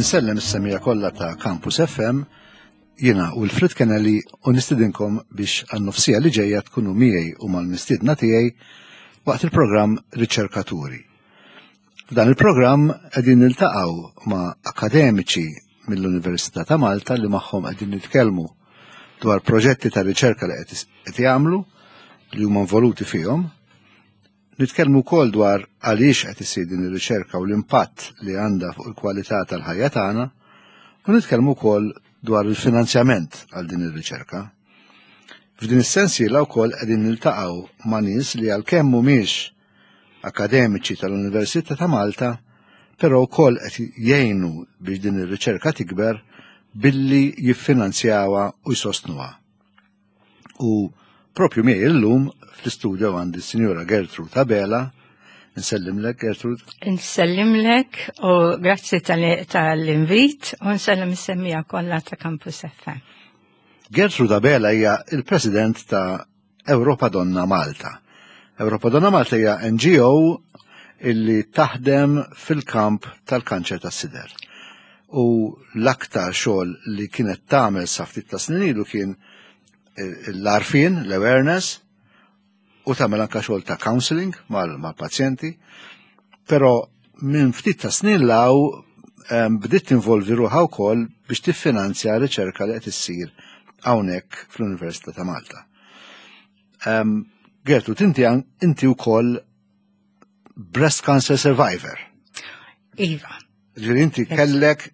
Insellem is-semija kollha ta' Campus FM, jiena Wilfred Kennelly u nistidinkom biex għan-nofsija li ġejja tkunu miegħi u mal-mistiedna tiegħi waqt il-programm Riċerkaturi. F'dan il-programm qegħdin niltaqgħu ma' akademiċi mill-Università ta' Malta li magħhom qegħdin nitkellmu dwar proġetti ta' riċerka li qed jagħmlu li huma involuti fihom. Nitkellmu wkoll dwar għaliex qed isir din ir-riċerka u l-impatt li għandha fuq il-kwalità tal-ħajja tagħna u nitkellmu wkoll dwar il-finanzjament għal din ir-riċerka. F'din is-sensiela wkoll qegħdin niltaqgħu ma' nies li għalkemm mhumiex akademiċi tal-Università ta' Malta, però wkoll qed jgħinu biex din ir-riċerka tikber billi jiffinanzjawha u jsostnuha. U propju miegħi illum fl-istudio għandi s-Sinjura Gertrude Abela. Nsellimlek, Gertrude. Nsellimlek u grazzi tal-invit u nsellem is-semmija kollha ta' Campus FM. Gertrude Abela hija il-President ta' Europa Donna Malta. Europa Donna Malta hija NGO illi taħdem fil-kamp tal-kanċer tas-sider. U l-aktar xogħol li kienet tagħmel sa ftit ta' snin ilu kien l-arfin, l-awareness, u tagħmel anka xogħol ta' counseling mal-pazjenti, però minn ftit ta' snin law bdiet tinvolvi ruħha wkoll biex tiffinanzja riċerka li qed issir hawnhekk fl-Università ta' Malta. Gertrud, inti inti wkoll breast cancer survivor. Iva. Ġifieri inti kellek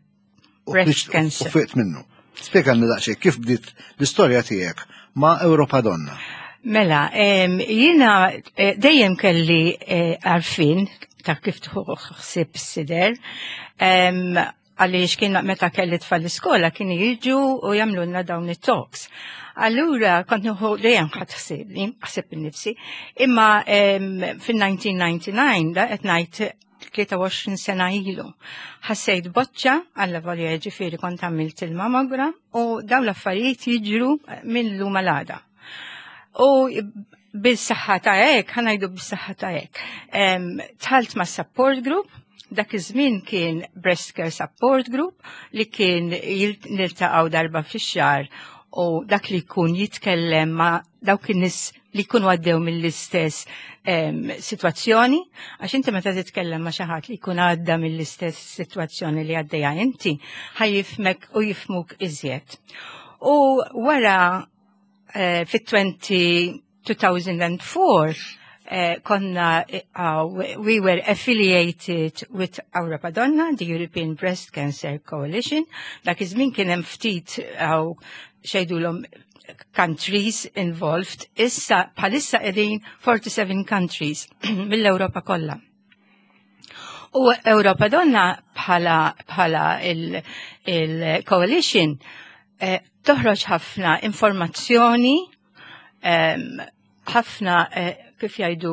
u Breast cancer. U fiqt minnu. Spjegalna daqsxejn kif bdiet l-istorja tiegħek ma' Europa Donna. Mela, jiena eh, dejjem kelli eh, għarfien ta' kif tħossib sider. Għaliex kien meta kelli tfal l-iskola kienu jiġu u jagħmlulna dawn it-talks. Allura kont nieħu dejjem ħadd ħsiebni, ħsieb innifsi, imma fil-1999 da qed ngħid 23 sena ilu. Ħassejt boċċa għalla volja ġifieri kont għamilt il-mammogram u dawn l-affarijiet jiġru minn lum għal U bil-saħħa ta' hekk, ħanajdu bis-saħħa ta' hekk. Tħalt ma' support group, dak iż-żmien kien Breast Care Support Group li kien niltaqgħu darba fix-xahar u dak li jkun jitkellem ma' dawk in-nies li jkunu għaddew mill-istess sitwazzjoni, għax inti meta titkellem ma' xi ħadd li jkun għadda mill-istess sitwazzjoni li għaddejja inti, ħajjifmek u jifmuk iżjed. U wara eh, fit-20 2004 eh, konna uh, we were affiliated with Europa Donna, the European Breast Cancer Coalition. Dak iż-żmien kien hemm ftit għaw xejdulhom countries involved. Issa bħalissa qegħdin 47 countries mill-Ewropa kollha. U Europa Donna bħala bħala il-coalition il eh, toħroġ ħafna informazzjoni, ħafna eh, kif jgħidu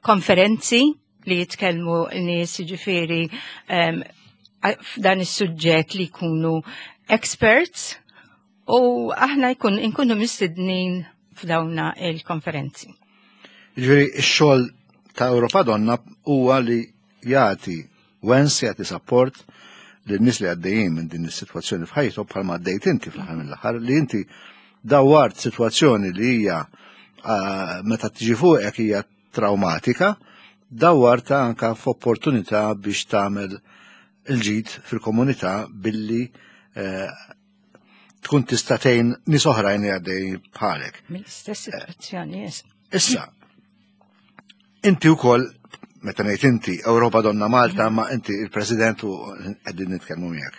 konferenzi li jitkellmu nies ġifieri f'dan is-suġġett li jkunu experts u aħna jkun inkunu mistednin f'dawna il-konferenzi. Ġifieri x-xogħol ta' Europa Donna huwa li jagħti wens, jagħti support lin nies li għaddejjin minn din is-sitwazzjoni f'ħajjithom bħalma għaddejt inti fl-aħħar mill-aħħar li inti dawwart sitwazzjoni li hija ah, meta tiġi fuqek hija traumatika, dawwarta anka f'opportunità biex tagħmel il-ġid fil-komunità billi eh, tkun tista' tgħin nies oħrajn li għaddej bħalek. Mill-istess sitwazzjoni, yes. Issa, inti wkoll meta ngħid inti Ewropa Donna Malta, ma inti il-President u qegħdin nitkellmu miegħek.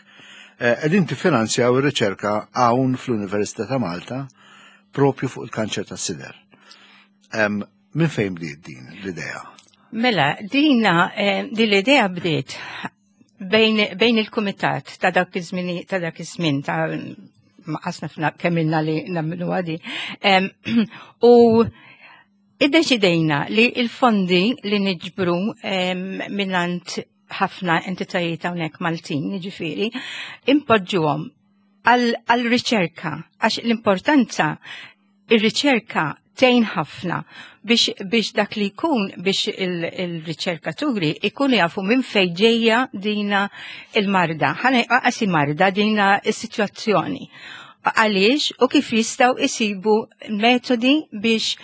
Eh, qegħdin tiffinanzjaw ir-riċerka hawn fl-Università ta' Malta propju fuq il-kanċer tas-sider. Minn fejn bdiet din l-idea? Mela, dina, eh, din l-idea bdiet bejn, bejn il-kumitat ta' dak iż-żmien ta' dak iż-żmien ta' ma qasna kemm ilna li nagħmlu għadi. U iddeċidejna li il-fondi li niġbru minnant ħafna entitajiet hawnhekk Maltin, jiġifieri, impoġġuhom għal-riċerka, għax l-importanza ir-riċerka tgħin ħafna biex dak li jkun biex il-riċerkaturi ikunu jafu minn fejn ġejja dina il-marda. Ħa qasi marda dina is-sitwazzjoni. Għaliex u kif jistgħu isibu metodi biex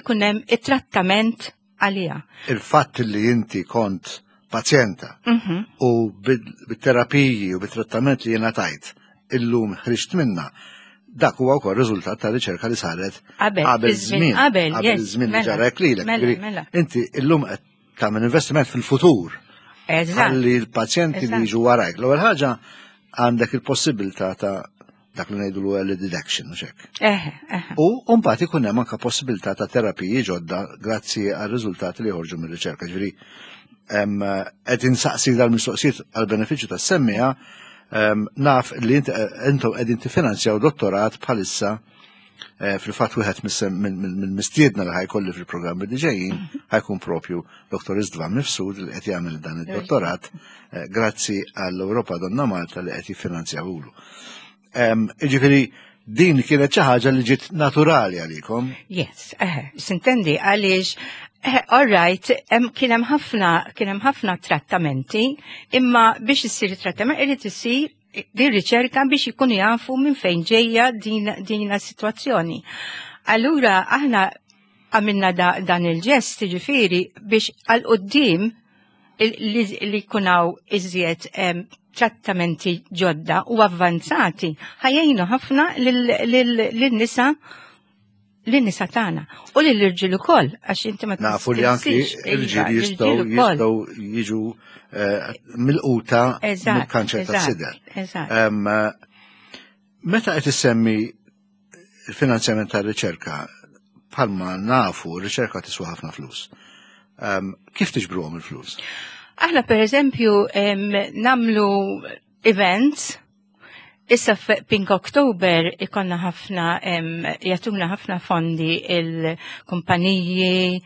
ikun hemm it-trattament għalija. Il-fatt li inti kont pazjenta u bit-terapiji u bit-trattament li jena tajt illum ħriġt minna, dak huwa wkoll riżultat ta' riċerka li saret qabel żmien, qabel żmien li ġarek lilek. Mela. Inti illum qed tagħmel investiment fil-futur. Ħalli l-pazjenti li jiġu warajk. L-ewwel ħaġa, għandek il-possibilità ta' dak li ngħidu l-early detection, u hekk. U mbagħad ikun hemm anke possibilità ta' terapiji ġodda grazzi għal riżultati li joħorġu mir-riċerka. Ġifieri qed insaqsi dal-mistoqsijiet għal benefiċċju tas-semmiegħa. Naf li intom qegħdin tiffinanzjaw dottorat bħalissa. Fil-fatt wieħed mill-mistiedna li ħa jkolli fil-programmi li ġejjin ħa jkun propju Dr. Istvan Mifsud, li qed jagħmel dan id-dottorat grazzi għall-Europa Donna Malta li qed jiffinanzjawulu. Ġifieri din kienet xi ħaġa li ġiet naturali għalikom. Yes, sintendi għaliex all right, kien hemm ħafna trattamenti, imma biex issir trattament irid isir din riċerka biex ikunu jafu minn fejn ġejja din situazzjoni. Allura aħna għamilna dan il-ġest, ġifieri, biex għal quddiem li jkunu iżjed trattamenti ġodda u avvanzati ħa jgħinu ħafna lin-nisa tagħna u lill-irġiel ukoll, għax inti ma Nafu li anki tinsiex, iva, irġiel jistgħu l-irġiel ukoll. jistgħu jiġu milquta mill-kanċer tas-sider. Meta qed issemmi il-finanzjament tar-riċerka, bħalma nafu, r-riċerka tiswa ħafna flus. Kif tiġbruhom il-flus? Aħna, per eżempju, nagħmlu events. Issa Pink October ikollna ħafna, jagħtuna ħafna fondi il-kumpaniji,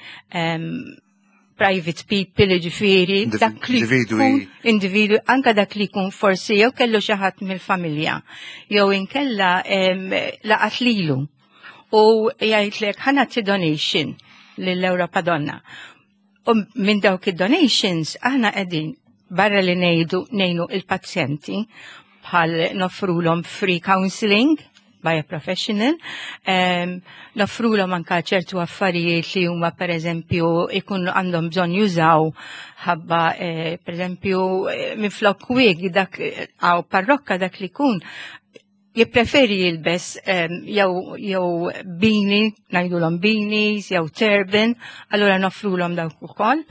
private people, ġifieri, dak li individwi. Individwi, anka dak li jkun forsi jew kellu xi ħadd mill-familja, jew inkella laqat lilu u jgħidlek, "Ħa nagħti donation lill-Europa Donna." U minn dawk id-donations aħna qegħdin, barra li ngħidu ngħinu il-pazjenti bħal noffrulhom free counseling by a professional, noffrulhom anka ċertu affarijiet li huma, per eżempju, ikun għandhom bżonn jużaw ħabba per eżempju, minflok wig dak għaw parrokka, dak li jkun jippreferi jilbes jew beanie, ngħidulhom beanies, jew turban, allura noffrulhom dawk ukoll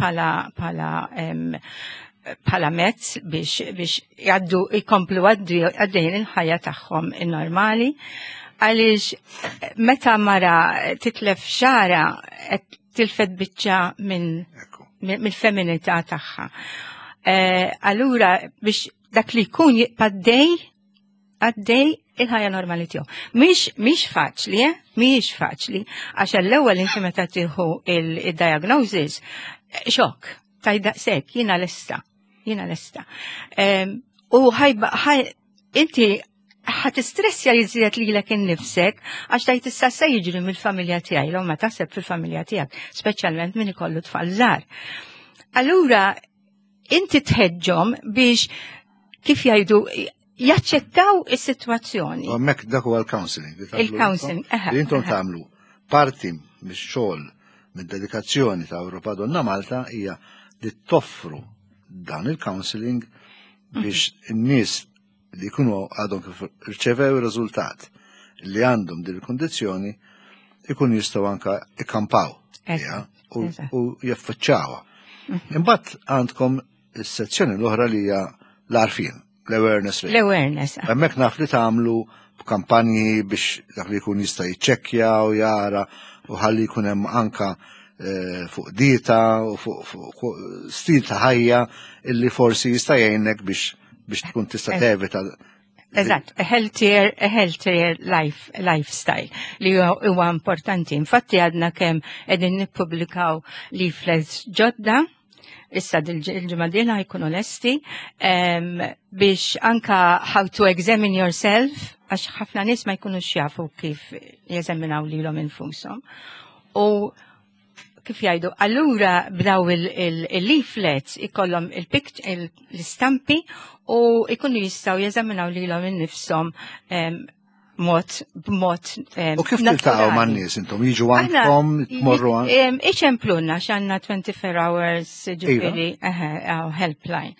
bħala mezz biex jgħaddu, jkomplu għaddejn il-ħajja tagħhom in-normali. Għaliex meta mara titlef xagħarha, qed tilfet biċċa minn mill-feminità tagħha. Allura biex dak li jkun jibqa' għaddej il-ħajja normali tiegħu. Mhix faċli, eh? Mhix faċli, għax l-ewwel inti meta tieħu il-diagnosis, xokk, tgħid daqshekk, jiena lesta, jiena lesta. U ħajba, inti ħa tistressja iżjed lilek innifsek, għax tgħid, "Issa se jiġri mill-familja tiegħi?" L ma taħseb fil-familja tiegħek, speċjalment min ikollu tfal żgħar. Allura inti tħeġġhom biex, kif jgħidu, jaċċettaw is-sitwazzjoni. U hemmhekk dak huwa l-counseling li tagħmlu Il-counseling, intom, li intom tagħmlu parti mix-xogħol, mid-dedikazzjoni ta' Europa Donna Malta, hija li toffru dan il-counseling biex in-nies li jkunu għadhom kif rċevew ir-riżultat li għandhom din il-kondizzjoni ikun jistgħu anka ikkampaw u jaffaċċawha. Imbagħad għandkom is-sezzjoni l-oħra li hija l-għarfien, l-awareness raising. L-awareness. Hemmhekk naf li tagħmlu kampanji biex dak li jkun jista' jiċċekkja u jara u ħalli jkun hemm anka fuq dieta u fuq stil ta' ħajja illi forsi jista' jgħinek biex tkun tista' tevita. Eżatt, a healthier lifestyle li huwa importanti. Infatti għadna kemm qegħdin nippubblikaw leaflets ġodda. Issa il-ġimgħa dieħla jkunu lesti biex anka how to examine yourself għax ħafna nies ma jkunux jafu kif jeżaminaw lilhom infushom. U kif jgħidu, allura b'daw il-leaflets ikollhom l-istampi u ikunu jistgħu jeżaminaw lilhom innifshom mod b'mod U kif tiltaqgħu man-nies intom jiġu għandkom tmorru għand? Iċemplunna x'għandna 24 hours ġifieri helpline.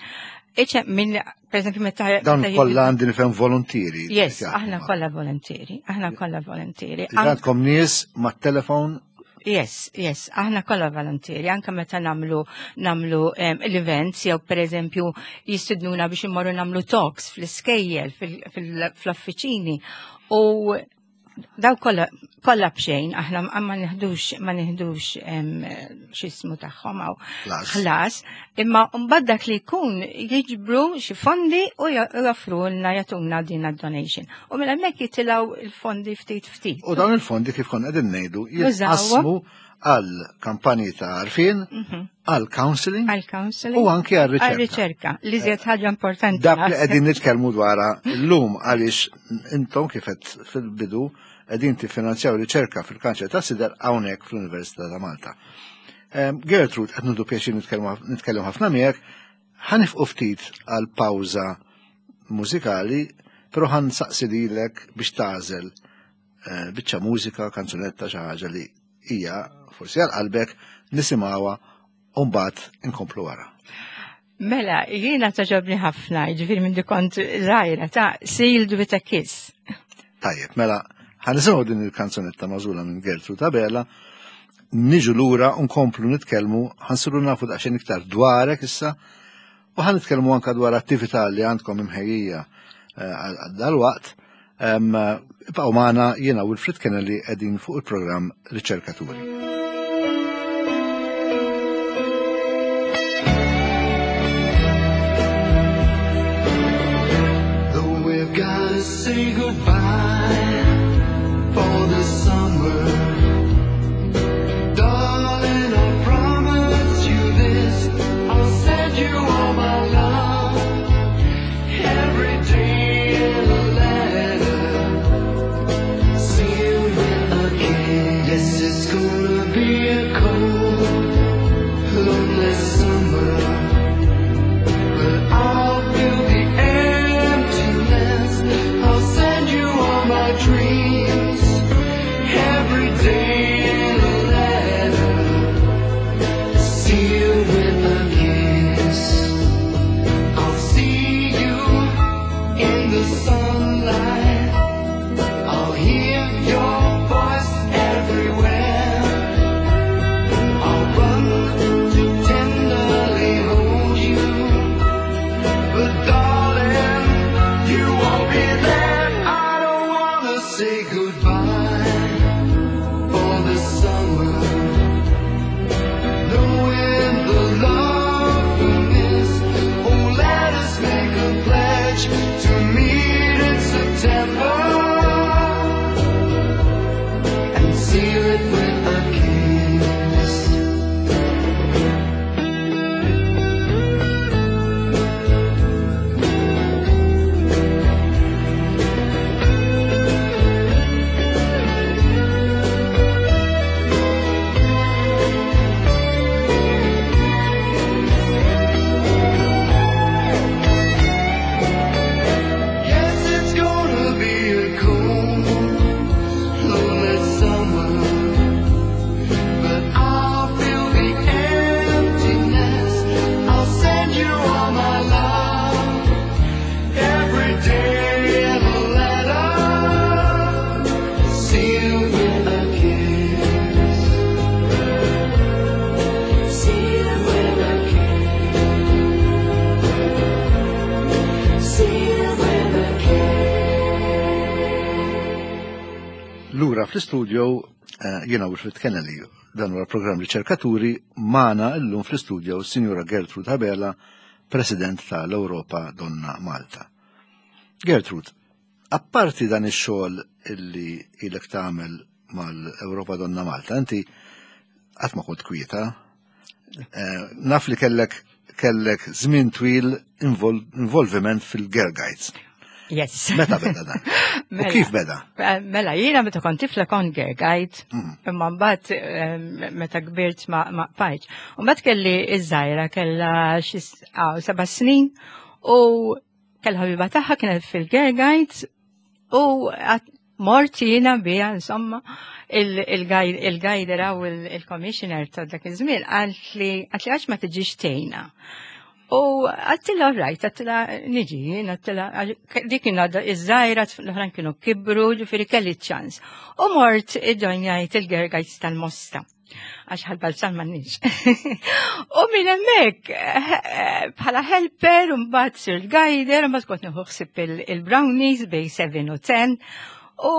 Iċem minn per eżempju meta Dawn kollha għandi nifhem volontieri. Yes, aħna kollha volontieri, aħna kollha volontieri. Għandkom nies mat-telefon Yes, yes, aħna kollha volontieri, anke meta namlu namlu l-events jew pereżempju jistidnuna biex immorru namlu talks fl-iskejjel, fl-offiċini u daw kollha kollha b'xejn, aħna ma nieħdux ma nieħdux x'ismu tagħhom hawn ħlas, imma mbagħad dak li jkun jiġbru xi fondi u joffrulna jagħtuna din donation. U minn hemmhekk jitilgħu il-fondi ftit ftit. U dawn il-fondi kif konna qegħdin ngħidu jitqassmu għal kampanji ta' għarfien, għal counseling, għal counseling u anki għal riċerka. Għal riċerka, li żjed ħaġa importanti. Dak li qegħdin nitkellmu dwarha llum għaliex intom kif qed fil-bidu qegħdin tiffinanzjaw riċerka fil-kanċer ta' sider hawnhekk fl-Università ta' Malta. Gertrude, qed nudu pjaċir nitkellem ħafna miegħek, ħanifqu ftit għal pawża mużikali, però ħan saqsi lilek biex tagħżel eh, biċċa mużika, kanzunetta xi ħaġa li hija forsi għal qalbek nisimgħuha u mbagħad inkomplu wara. Mela, jiena taġobni ħafna, ġifieri minn kont żgħira ta' Sealed with a Kiss. Tajjeb, mela, ħanisimgħu din il-kanzunetta magħżula minn Gertrude Abela, niġu lura u nkomplu nitkellmu, ħansiru nafu daqsxejn iktar dwarek issa, u ħan nitkellmu anka dwar attività li għandkom imħejjija eh, għal dal-waqt. Ibqgħu magħna jiena Wilfred Kennelly qegħdin fuq il-programm Riċerkaturi. Though we've gotta say goodbye for the summer. Darling, I promise you this. I'll send you all my love every day in a letter. Sealed with a kiss. Yes, it's gonna be a cold, lonely summer. But I'll fill the emptiness. I'll send you all my dreams every day in a letter, sealed with a kiss. I'll see you in the sunlight. I'll hear your voice everywhere. I'll run to tenderly hold you. But darling, you won't be there. I don't wanna say goodbye for the summer. Knowing the love we miss. Oh, let us make a pledge to meet in September and seal it with a kiss. Yes, it's gonna be a cold, lonely summer. But I'll feel the emptiness. I'll send you all my love every day in a letter, sealed with a kiss. Sealed with a kiss. Sealed with a kiss. Lura fl-istudio jiena Wilfred Kennelly, dan huwa l-programm Riċerkaturi, magħna llum fl-istudio Sinjura Gertrude Abela, President tal-Ewropa Donna Malta. Gertrude, apparti dan ix-xogħol illi ilek tagħmel mal-Ewropa Donna Malta, inti qatt ma kont kwieta, Naf li kellek żmien twil involviment fil-Girl Guides. Yes. Meta beda dan? U Mela. kif beda? Mela, jiena meta kont tifla kont girl guide, imma mbagħad meta kbirt ma bqajtx. U mbagħad kelli iż-żgħira kellha xi 7 snin u kellha ħabiba tagħha kienet fil-girl guides u mort jiena biha, insomma, il-guider u il-commissioner ta' dak iż-żmien għalt li għax ma tiġix tgħinna. U għedtilha right, għedtilha niġi, jien għedtilha, dik kien għadha iż-żgħira, l-oħrajn kienu kibru, ġifieri kelli ċans. U mort iġġojnjajt il-Girl Guides tal-Mosta. Għax Ħal Balzan m'għandniex. U minn hemmhekk bħala helper, u mbagħad sirt guider, u mbagħad kont nieħu ħsieb il-brownies bejn 7 u 10. U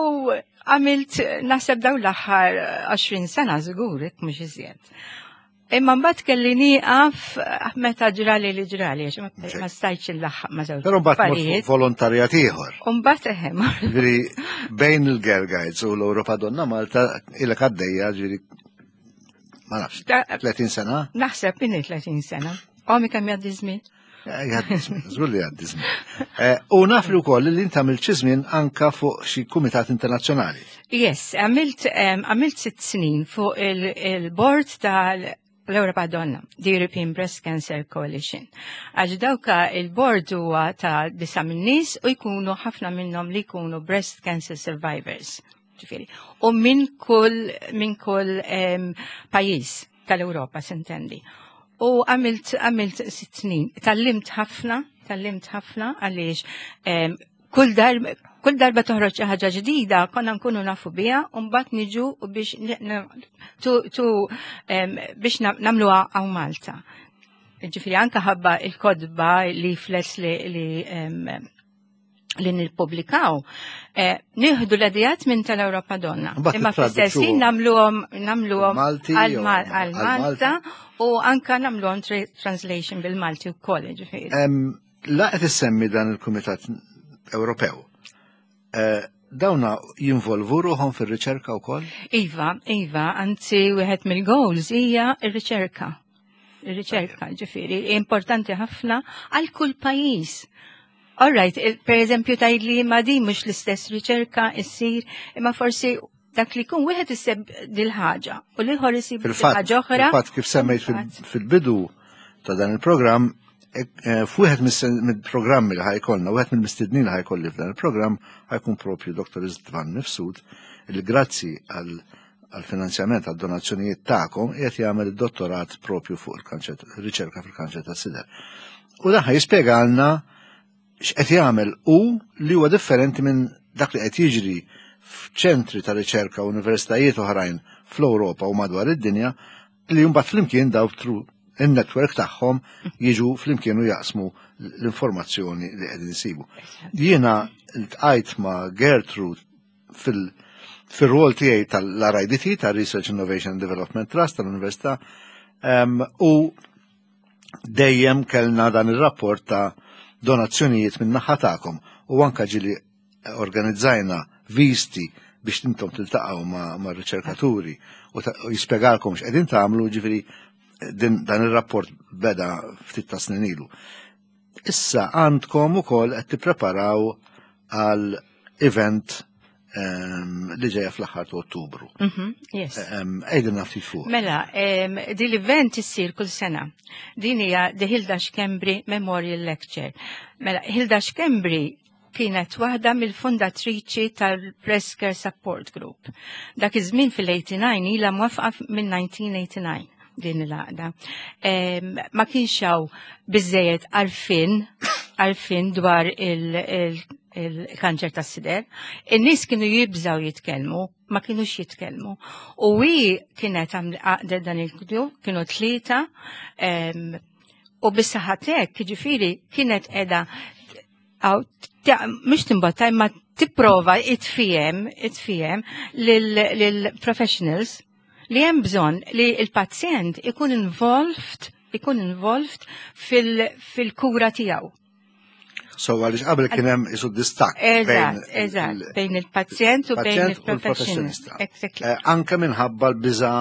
għamilt naħseb dawn l-aħħar 20 sena żgur, jekk mhux iżjed. Imma mbagħad kelli nieqaf meta ġrali li ġrali, għax ma stajtx inlaħħaq ma' żewġ Però mbagħad mort fuq affarijiet. volontarjat ieħor. U mbagħad eħe, Ġifieri bejn il-Girl Guides u l-Europa Donna Malta ilek għaddejja, ġifieri ma nafx, 30 sena? Naħseb minni 30 sena. Omi kemm jgħaddi żmien. Jgħaddi żmien, żgur li jgħaddi żmien. U naf li wkoll li inti għamilt xi żmien anka fuq xi kumitat internazzjonali. Yes, għamilt 6 snin fuq il-board tal-Europa Donna, the European Breast Cancer Coalition. Għax dawka il-board huwa ta' disa min-nies u jkunu ħafna minnhom li jkunu breast cancer survivors. Ġifieri. U minn kull pajjiż tal-Europa, s'intendi. U għamilt 6 snin. Tgħallimt ħafna, tgħallimt ħafna għaliex kull darba toħroġ xi ħaġa ġdida konna nkunu nafu biha u mbagħad niġu u biex biex nagħmluha hawn Malta. Ġifieri anka ħabba il-kotba leaflets li nippubblikaw, nieħdu l-ideat minn tal-Europa Donna. Mbagħad Imma fl-istess ħin tittraduċuhom nagħmluhom Malti għal jew għal għal Malta u anka nagħmluhom translation bil-Malti wkoll, ġifieri. La qed issemmi dan il-Kumitat Ewropew. Dawna jinvolvu ruħhom fir-riċerka wkoll? Iva, anzi wieħed mill-goals hija r-riċerka. Ir-riċerka, ġifieri, importanti ħafna għal kull pajjiż. All right, per eżempju tgħid li ma din mhux l-istess riċerka issir, imma forsi dak li jkun wieħed isib dil-ħaġa u l-ieħor isib Fil-fatt, ħaġa oħra. fil-fatt kif semmejt fil-bidu ta' dan il-programm, f'wieħed mill-programmi li ħa jkollna, wieħed mill-mistednin li ħa jkolli f'dan il-programm ħa jkun propju Dr. Istvan Mifsud, li grazzi għal finanzjament għal donazzjonijiet tagħkom qiegħed jagħmel id-dottorat propju fuq il-kanċer, riċerka fil-kanċer tas-sider. U dan ħa jispjegalna x'qed jagħmel u li huwa differenti minn dak li qed jiġri f'ċentri ta' riċerka u universitajiet oħrajn fl-Ewropa u madwar id-dinja li mbagħad flimkien daw through in-network tagħhom jiġu flimkien u jaqsmu l-informazzjoni li qegħdin isibu. Jiena ltqajt ma' Gertrude fil-rol tiegħi tal-RIDT, tal-Research Innovation and Development Trust tal-Università, u dejjem kellna dan il-rapport ta' donazzjonijiet minn naħa tagħkom u anka ġieli organizzajna visti biex intom tiltaqgħu ma' riċerkaturi u jispjegalkom x'qegħdin tagħmlu, ġifieri dan ir-rapport beda ftit ta' snin ilu. Issa għandkom ukoll qed tippreparaw għal event li ġejja fl-aħħar ta' Ottubru. Yes. Għidilna ftit fuq. Mela, din l-event issir kull sena. Din hija The Hilda Schembri Memorial Lecture. Mela, Hilda Schembri kienet waħda mill-fundatriċi tal-Breast Care Support Group. Dak iż-żmien fil-89, ilha mwaqqfa minn 1989 din l-għaqda. Ma kienx hawn biżejjed għarfien dwar il-kanċer tas-sider. In-nies kienu jibżaw jitkellmu, ma kienux jitkellmu. U hi kienet għaqdet dan il-grupp, kienu tlieta, u bis-saħatek, ġifieri, kienet edha għaw, mhux timbotta, imma tipprova itfihem lil-professionals li hemm bżonn li il-pazjent ikun involved fil-kura tiegħu. So għaliex qabel kien hemm isu distakk Eżatt, bejn il-pazjent u bejn il-pazjent u il-professionist. l-professjonista. Exactly. Anke minħabba l-biża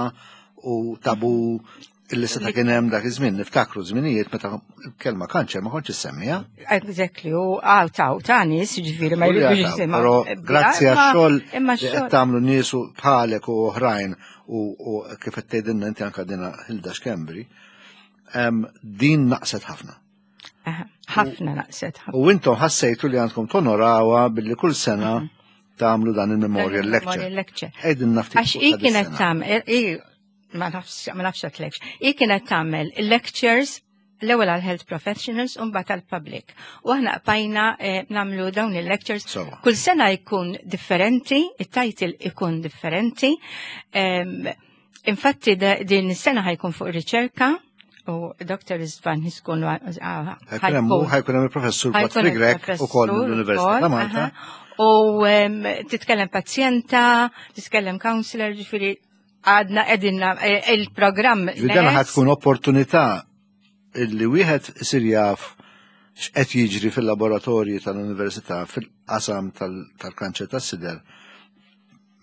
u tabu. Illi seta' kien hemm dak iż-żmien, niftakru żminijiet meta kelma kanċer ma kontx issemmija. Exactly, u għaw taw ta' nies, ġifieri ma jridux jisimgħu. Però grazzi għax-xogħol li qed tagħmlu nies bħalek u oħrajn u kif qed tgħidilna inti anke dina Hilda Schembri, din naqset ħafna. Ħafna naqset. U intom ħassejtu li għandkom tonorawha billi kull sena tagħmlu dan il-memorial lecture. Qegħdin nafti. Għax hi kienet tagħmel ma nafx ma nafx għatlekx. Hi kienet tagħmel lectures l-ewwel għal health professionals u mbagħad għal public. U aħna qbajna eh, nagħmlu dawn il-lectures. Kull sena jkun differenti, it-title ikun differenti. Infatti din is-sena ħajkun fuq riċerka u Dr. Istvan Hiskun ħajkun hemm il-professur Patrick Grech ukoll mill-Università ta' Malta. U titkellem pazjenta, titkellem counselor, ġifieri għadna qegħdin eh, il-programm. Dan ħad tkun opportunità illi wieħed isir jaf x'qed jiġri fil-laboratorji tal-università fil-qasam tal-kanċer tas-sider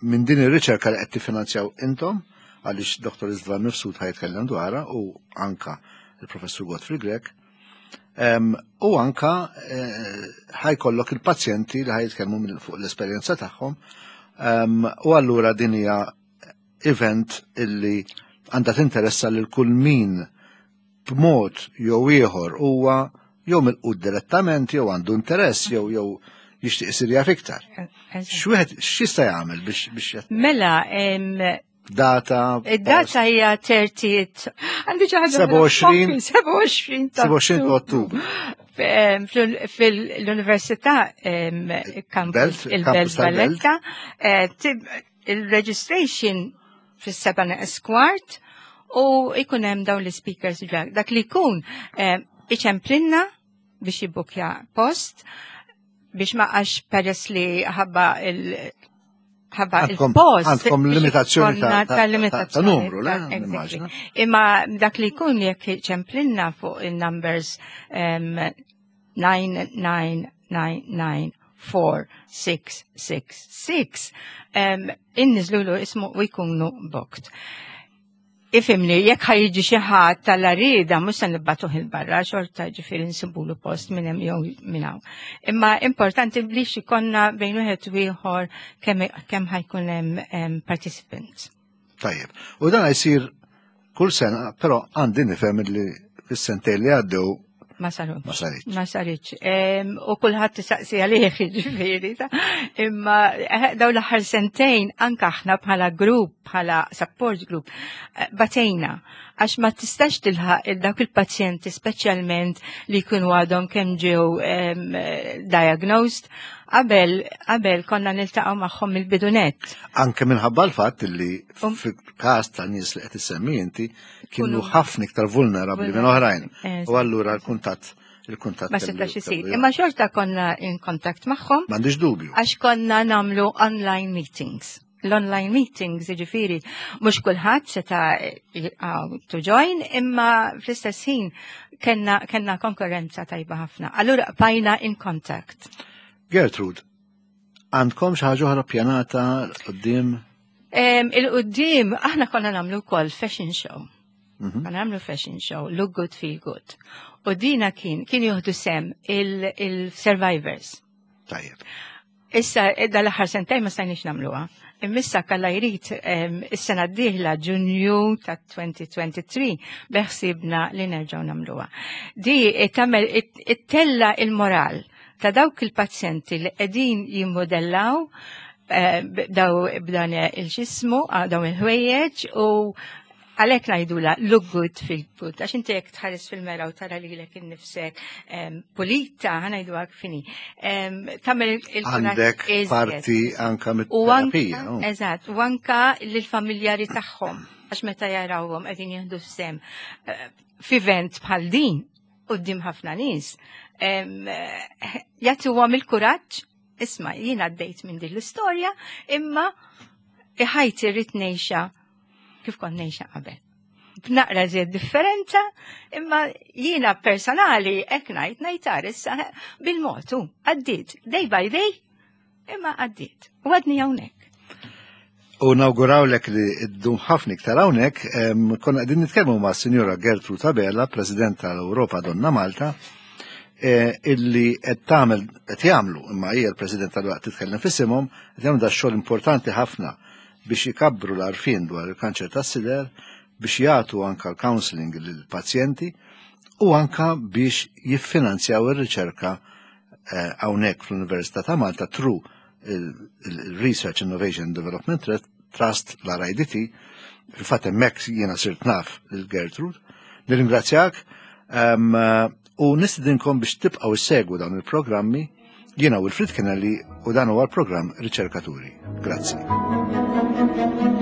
minn din ir-riċerka li qed tiffinanzjaw intom għaliex Dr. Istvan Mifsud ħajtkellem dwarha u anka il-Professur Godfrey Grech. U anka eh, ħajkollok il-pazjenti li ħajtkellmu fuq l-esperjenza tagħhom. U allura din hija event illi għandha tinteressa lil kull min b'mod jew ieħor huwa jew milqut direttament jew għandu interess jew jew jixtieq isir jaf iktar. X'wieħed x'jista' jagħmel biex biex Mela, data. Id-data hija 30. Għandi xi ħaġa 27 27 27 Ottubru. Fil-Università Campus il-Belt Valletta eh, il-registration fis-7 neqes kwart u ikun hemm dawn l-speakers dak li jkun eh, iċemplinna biex jibbukja post biex ma għax peress li ħabba il ħabba il-post. Għandkom limitazzjoni ta' ta' numru, le? Imma dak li jkun jekk ċemplinna fuq il-numbers 9999 4666 inniżlulu ismu u jkunu booked. Ifimni, jekk ħajġi xi ħadd tal-arida mhux se nibbatuh il-barra, xorta ġifieri nsibulu post minn hemm jew minn hawn. Imma importanti li xikonna bejn wieħed u ieħor kemm ħajkun hemm participants. Tajjeb. U dan jsir kull sena, però għandi nifhem li fis-sentejn li għaddew Ma sarux. Ma saritx. Ma saritx. U kulħadd tisaqsi għalih ġifieri. Imma eh, daw l-aħħar sentejn anke aħna bħala grupp, bħala support group, eh, batejna għax ma tistax tilħaq dawk il-pazjenti speċjalment li jkunu għadhom kemm ġew diagnosed qabel qabel konna niltaqgħu magħhom il-bidunet. Anke minħabba l-fatt li um- fil-każ ta' nies li qed issemmi inti kienu ħafna iktar vulnerabbli minn oħrajn. U allura l-kuntatt il-kuntatt. Ma setax isir. Imma xorta konna in kontakt magħhom. M'għandix dubju. Għax konna nagħmlu online meetings. L-online meetings, jiġifieri, mhux kulħadd seta' to join, imma fl-istess ħin kellna kellna konkurrenza tajba ħafna. Allura bajna in contact. Gertrude, għandkom xi ħaġa oħra pjanata qudiem? Il-qudiem aħna konna nagħmlu wkoll fashion show. Konna nagħmlu fashion show, look good, feel good. U dina kien kien jieħdu sem il-survivors. Tajjeb. Issa dal-aħħar sentejn ma stajniex nagħmluha. Immissa kalla jrid is-sena d-dieħla Ġunju ta' 2023 beħsibna li nerġgħu nagħmluha. Di tagħmel ittella il-moral ta' dawk il-pazjenti li qegħdin jimmodellaw eh, daw b'dan il-ġismu, ah, dawn il-ħwejjeġ u għalhekk ngħidula look good feel good, għax inti jekk tħares fil-mera u tara lilek innifsek pulita, ħanajdu għak fini. Tagħmel il Għandek parti anka mit-terapija. Eżatt, u anka lill-familjari tagħhom, għax meta jarawhom qegħdin jieħdu sem eh, f'event bħal din quddiem ħafna nies, jagħtuhom il-kuraġġ, isma' jien għaddejt minn din l-istorja, imma ħajti rrid ngħixha kif kont ngħixha qabel. B'naqra żied differenza, imma jiena personali hekk ngħid ngħid issa bil-mod għaddiet day by day, imma għaddiet. U għadni hawnhekk. U nawgurawlek li ddum ħafna iktar hawnhekk, konna qegħdin nitkellmu ma' Sinjura Gertrude Abela, President tal-Ewropa Donna Malta, e, illi qed tagħmel qed jagħmlu imma hija l-President tal-waqt titkellem f'isimhom, qed jagħmlu da xogħol importanti ħafna biex ikabbru l-għarfien dwar il-kanċer tas-sider, biex jagħtu anka l-counseling lill-pazjenti u anka biex jiffinanzjaw ir-riċerka eh, hawnhekk fl-Università ta' Malta through il-Research Innovation Development Trust, l-RIDT, fil-fatt hemmhekk jiena sirt naf lil Gertrude. Nirringrazzjak ehm, u nistidinkom biex tibqgħu issegwu dawn il-programmi jiena Wilfrid Kennelly u dan huwa l-programm Riċerkaturi. Grazzi.